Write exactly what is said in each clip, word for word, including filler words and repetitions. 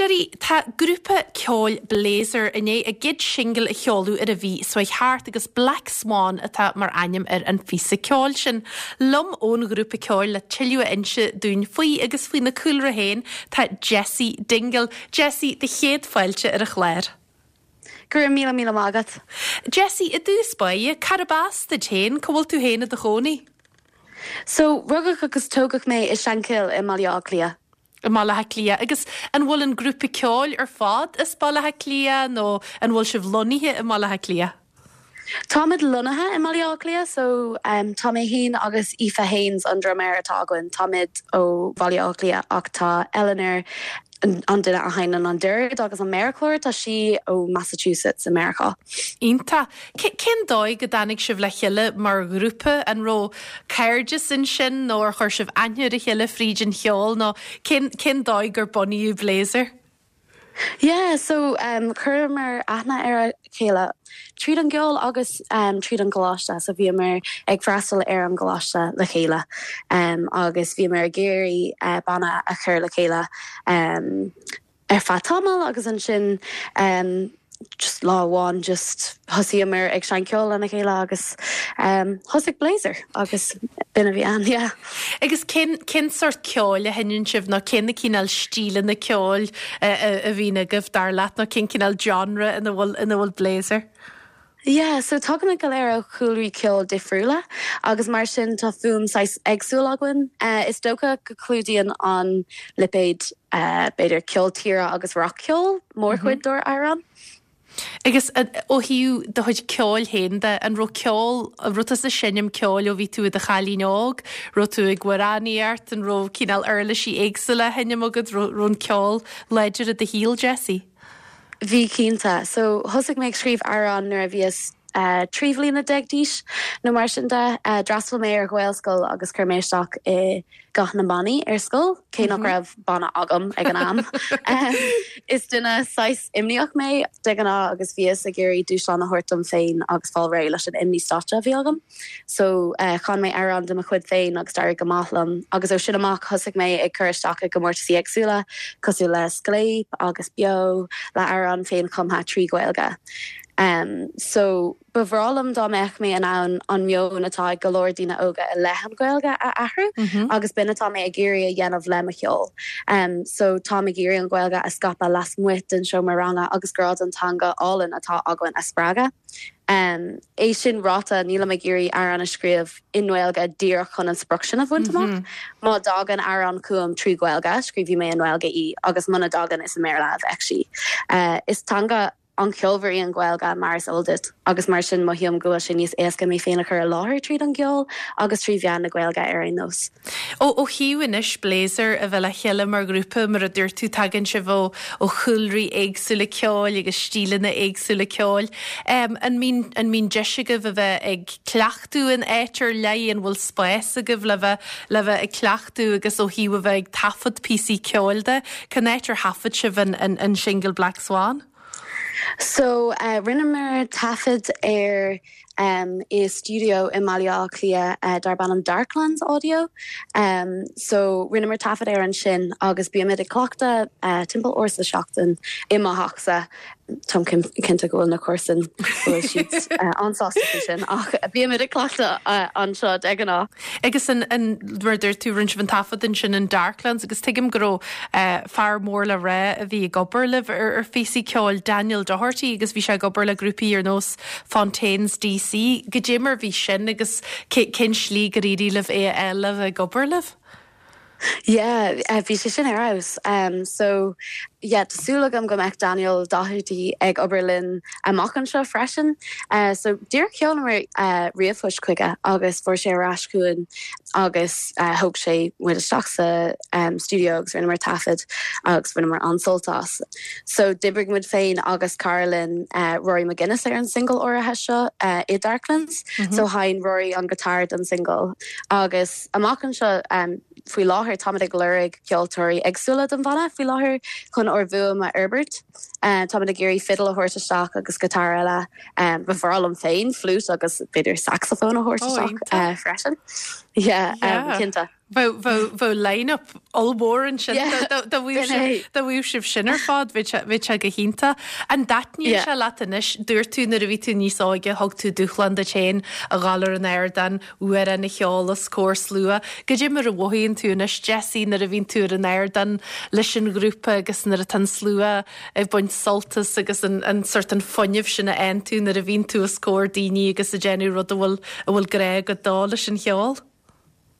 éisteoirí, tá grúpa ceoil Blazer i ndiaidh a gcéad singil a sheoladh ar an mhí seo thart agus Black Swan atá mar ainm ar an phíosa ceoil sin. Liom ón ghrúpa ceoil le tuilleadh a inse dúinn faoi agus faoina cúlra féin tá Jessie Dingle. Jessie do chéad fáilte ar an chlár. Go raibh míle míle maith agat. Jessie i dtús báire cárb as duit féin cá bhfuil tú féin i do chónaí. So rugadh agus tógadh mé i Shankill i mBaile Átha Cliath. I mBaile Átha Cliath agus an bhfuil an grúpa ceoil ar fad as Baile Átha Cliath nó an bhfuil sibh lonnaithe i mBaile Átha Cliath? Táimid lonnaithe i mBaile Átha Cliath so um, tá mé féin agus Aoife Haines an druiméir atá againn táimid ó Bhaile Átha Cliath ach tá Eleanor an duine a sheinneann an dord agus an méarchlár tá sí ó Massachusetts America. Iontach cén dóigh go dtáinig sibh le chéile mar ghrúpa an raibh cairdeas ansin nó ar chuir sibh aithne ar a chéile fríd an cheol nó cén cén dóigh gur bunaíodh Blazer? Yeah, so um, chuireamar aithne ar a chéile tríd an gceol agus um, tríd an gcoláiste so bhíomar ag freastal ar an gcoláiste le chéile um, agus bhíomar ag iarraidh uh, banna a chur le chéile um, ar feadh tamaill agus ansin um, just lá amháin just thosaíomar ag seinm ceoil lena chéile agus um, thosaigh Blazer agus b'in a bhí ann yeah. Agus cén cén sórt ceoil a sheinneann sibh nó cén na cineál stíleanna ceoil a bhíonn agaibh dar leat nó cén cineál genre ina bhfuil ina bhfuil Blazer? Yeah, so tagaimid go léir ó chúlraí ceoil difriúla agus mar sin tá fuaim saghas éagsúil againn. Uh, is dócha go clúdaíonn an lipéad uh, b'fhéidir ceol tíre agus rac-cheol mórchuid mm -hmm. dár n-amhráin. Agus ó thaobh do chuid ceoil féin de an raibh ceol raibh tú ag seinm ceoil ó bhí tú i do chailín óg, raibh tú ag amhránaíocht an raibh cineál uirlisí éagsúla á seinm agat raibh an ceol láidir i do shaol Jessie. Bhí cinnte, so thosaigh mé ag scríobh amhrán nuair a bhíos uh, trí bliana déag d'aois nó mar sin de uh, d'fhreastail mé ar Ghaelscoil agus chuir mé isteach i gCath na mBannaí ar scoil, cé nach mm -hmm. raibh banna agam ag an am. um, is duine saghas imníoch mé de ghnáth agus bhíos ag iarraidh dúshlán a thabhairt dom féin agus fáil réidh leis an imní stáitse a bhí agam. So uh, chan mé amhrán de mo chuid féin agus d'éirigh go maith liom, agus ó sin amach thosaigh mé ag chur isteach i gcomórtaisí éagsúla, cosúil le Scléip agus Beo le amhrán féinchumtha trí Ghaeilge. Um, so ba bhreá liom dá mbeadh mé in ann an meon atá ag go leor daoine óga i leith an Ghaeilge a athrú mm -hmm. agus b'in atá mé ag iarraidh a dhéanamh le mo cheol. Um, so tá ag iarraidh an Ghaeilge a scaipeadh lasmuigh den seomra ranga agus grá don teanga álainn atá againn a spreagadh. Um, é sin ráite níl ag iarraidh amhrán a scríobh i nGaeilge díreach chun an sprioc sin a bhaint amach. Mm -hmm. Má thagann amhrán chugam trí Ghaeilge, scríobhfaidh mé i nGaeilge í agus muna dtagann is i mBéarla a bheidh sí. Uh, is teanga an-cheolmhar í an Ghaeilge mar is eol duit agus mar sin mothaím go bhfuil sé níos éasca mé féin a chur i láthair tríd an gceol agus trí mheán na Gaeilge ar aon nós. Ó ó thaobh anois Blazer a bheith le chéile mar ghrúpa mar a dúirt tú tagann sibh ó ó chúlraí éagsúla ceoil agus stíleanna éagsúla ceoil. Um, an mbíonn an mbíonn deis agaibh a bheith ag cleachtadh in áit ar leith an bhfuil spás agaibh le bheith le bheith ag cleachtadh agus ó thaobh a bheith ag taifead píosaí ceoil de, Cén áit ar thaifead sibh an, an, an single Black Swan? So uh, rinneamar taifead ar um, i studio i mBaile Átha Cliath uh, darb ainm Darklands Audio. Um, so rinneamar taifead ar ansin agus bímid ag cleachtadh uh, timpeall uair sa seachtain i mo theachsa Tá cinnte go bhfuil na comharsana bhfuil siad uh, an-sásta sin ach bímid ag cleachtadh uh, anseo de ghnáth. Agus an an mar dúirt tú rinne sibh an taifead ansin in Darklands agus tuigim go raibh uh, fear mór le rá a bhí ag obair libh ar ar phíosaí ceoil Daniel Doherty agus bhí sé ag obair le grúpaí ar nós Fontaines DC go dé mar bhí sin agus cén slí gur éirigh libh é a fháil ag obair libh? Yeah, uh, bhí sé sin ar fheabhas. Um, so yeah, tá súil agam go mbeidh Daniel Doherty ag obair linn amach anseo freisin. Uh, so díreach sheolamar uh, ríomhphost chuige agus fuair sé ar ais chugainn agus uh, thóg sé muid isteach sa um, studio agus rinneamar taifead agus rinneamar an-sult as. So d'oibrigh muid féin agus Carolyn uh, Rory McGuinness ar an single áirithe seo uh, i Darklands, mm -hmm. so sheinn Rory an guitar don single. Agus amach anseo um, faoi láthair táimid ag lorg ceoltóirí éagsúla don bhanna faoi láthair chun ár bhfuaim a fhorbairt. Uh, táimid ag iarraidh fiddle a thabhairt isteach agus guitar eile um, ba bhreá liom féin flute agus b'fhéidir saxophone a thabhairt isteach uh, freisin. Yeah, um, cinnte. Bheadh line-up ollmhór ansin dá bhfuil sibh sin ar fad bhí sé go hiontach. An dtaitníonn sé leat anois dúirt tú nuair a bhí tú níos óige thug tú dúshlán duit féin a ghabháil ar an ardán amhrán a cheol os comhair slua. Goidé mar a mhothaíonn tú anois Jessie nuair a bhíonn tú ar an ardán leis an ghrúpa agus nuair atá an slua ag baint sult as agus an, an sort an fuinneamh sin a fhaigheann tú nuair a bhíonn tú os comhair daoine agus ag déanamh rud a bhfuil a bhfuil grá agat dó leis an cheol.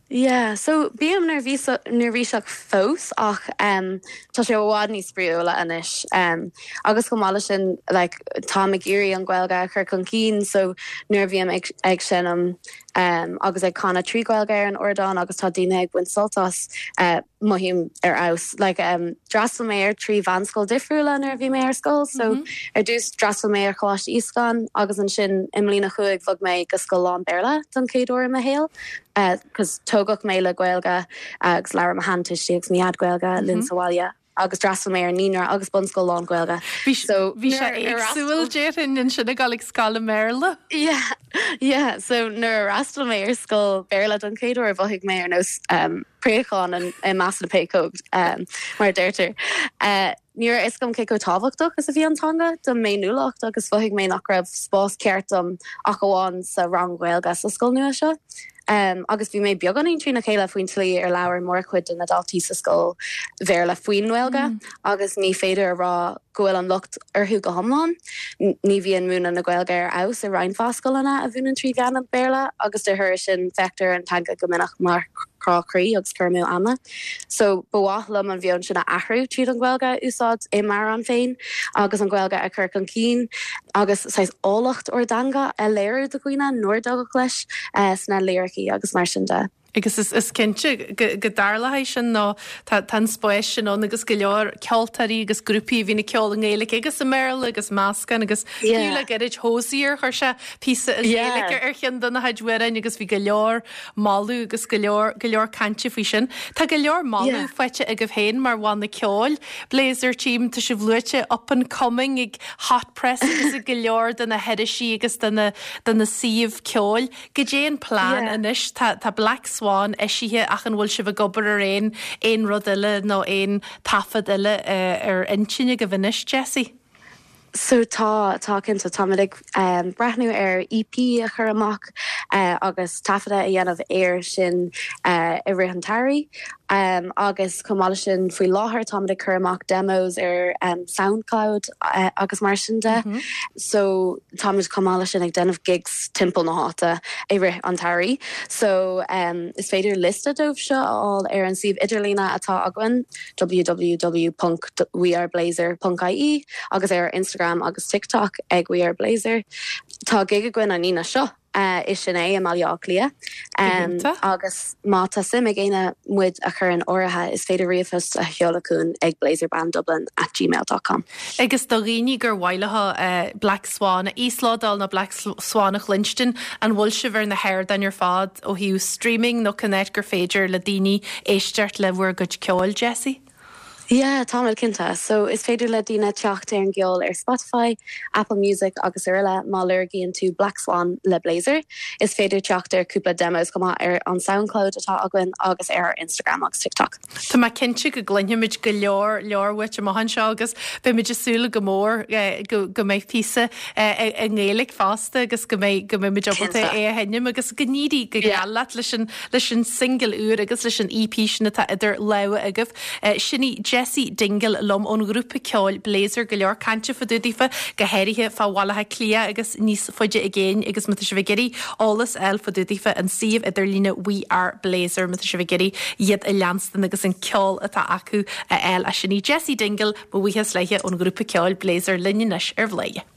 Yeah, so bím neirbhíseach fós ach um, tá sé i bhfad níos spraíúla anois um, agus chomh maith sin like, tá ag iarraidh an Ghaeilge a chur chun cinn so nuair a bhím ag, ag seinm um, agus ag canadh trí Ghaeilge ar an ardán agus tá daoine ag baint sult as uh, mothaím ar fheabhas like, um, d'fhreastail mé ar trí mheánscoil difriúla nuair a bhí mé ar scoil so mm -hmm. ar dtús d'fhreastail mé ar Choláiste Íoscáin agus ansin i mbliain a cúig bhog mé go scoil lán-Bhéarla don chéad uair i mo shaol cos tógadh mé le Gaeilge agus labhair mo sheantuistí agus mo dhaid Gaeilge linn sa bhaile agus d'fhreastail mé ar naíonra agus bunscoil lán-Ghaeilge. So bhí sé éagsúil déarfainn ansin ag dul ag scoil i mBéarla? Yeah, yeah, so nuair a d'fhreastail mé ar scoil Béarla don chéad uair mhothaigh mé ar nós um, préachán i measc na bpéacóg um, mar deirtear. Uh, Ní raibh a fhios agam cé chomh tábhachtach is a bhí an teanga do m'fhéiniúlacht agus mhothaigh mé nach raibh spás ceart dom ach amháin sa rang Gaeilge sa scoil nua seo. Um, agus bhí mé beagáinín trína chéile faoin tslí ar labhair mórchuid de na daltaí sa scoil Bhéarla faoin nGaeilge mm. agus ní féidir a rá go bhfuil an locht orthu go hiomlán. Ní bhíonn múineadh na Gaeilge ar fheabhas i roinnt scoileanna a mhúineann trí mheán an Bhéarla agus de thoradh sin feictear an teanga go minic mar crá croí agus cur amú ama. So ba mhaith liom an meon sin a athrú tríd an Ghaeilge a úsáid i m'amhrán féin agus an Ghaeilge a chur chun cinn agus saghas áilleacht ár dteanga a léiriú do dhaoine nár tógadh leis uh, sna liricí agus mar sin de. Agus is, is cinnte go, go dtarlaíonn sin nó tá an spás sin ann agus go leor ceoltóirí agus grúpaí a bhíonn ag ceol i nGaeilge agus i mBéarla agus meascán agus yeah. le gairid Hozier chuir sé píosa i nGaeilge ar cheann de na hamhráin agus bhí go leor moladh agus go leor go leor cainte faoi sin. Tá go leor moladh yeah. faighte agaibh féin mar bhanna ceoil. Blazer Team tá sibh luaite up and coming ag Hot Press agus ag go leor de na hirisí agus de na de na suímh ceoil. Goidé an plean yeah. anois tá, tá Black Swan eisithe ach an bhfuil sibh ag obair ar aon aon rud eile nó aon taifead eile uh, ar intinn agaibh anois Jessie? So tá tá cinnte táimid ag um, breathnú ar EP a chur amach uh, agus taifeadadh a dhéanamh air sin uh, i rith an tsamhraidh. Um, agus chomh maith sin faoi láthair táimid ag cur amach demos ar um, SoundCloud uh, agus mar sin de. Mm -hmm. So táimid chomh maith sin ag déanamh gigs timpeall na háite i rith an tsamhraidh. So um, is féidir liosta dóibh seo a fháil ar an suíomh idirlín atá againn www.weareblazer.ie agus ar Instagram agus TikTok ag We Are Blazer. Tá gig againn an Aoine seo. Uh, is sin é i mBaile Átha Cliath um, agus má tá suim ag éinne muid a chur in áirithe is féidir ríomhphost a sheoladh chugainn ag blazerbanddublin at gmail.com. Agus do dhaoine gur mhaith leo uh, Black Swan a íoslódáil nó Black Swan a chluinstin an bhfuil sibh ar na hardáin ar fad ó thaobh streaming nó cén áit gur féidir le daoine éisteacht le bhur gcuid ceoil Jessie? Yeah, táimid cinnte, so is féidir le daoine teacht ar an gceol ar Spotify, Apple Music agus araile má lorgaíonn tú Black Swan le Blazer. Is féidir teacht ar cúpla demos go maith ar an SoundCloud atá againn agus ar Instagram agus TikTok. Tá mé cinnte go gcluinfimid go leor leor uait amach anseo agus beimid ag súil go mór eh, go go mbeidh píosa eh, i nGaeilge fosta agus go mbeidh go mbeimid ábalta é a sheinm agus go n-éirí go geal leat leis an leis an single úr agus leis an EP sin atá idir lámha agaibh. Eh, Sin í Jessie Dingle liom ón ghrúpa ceoil Blazer go leor cainte fá dtaobh daofa go háirithe fá Bhaile Átha Cliath agus níos faide i gcéin agus má tá sibh ag iarraidh eolas a fháil fá dtaobh daofa an suíomh idirlín We Are Blazer má tá sibh ag iarraidh iad a leanstan agus an ceol atá acu a fháil a sin í Jessie Dingle mo bhuíochas léi ón ghrúpa ceoil Blazer linn anois ar Bhladhaire.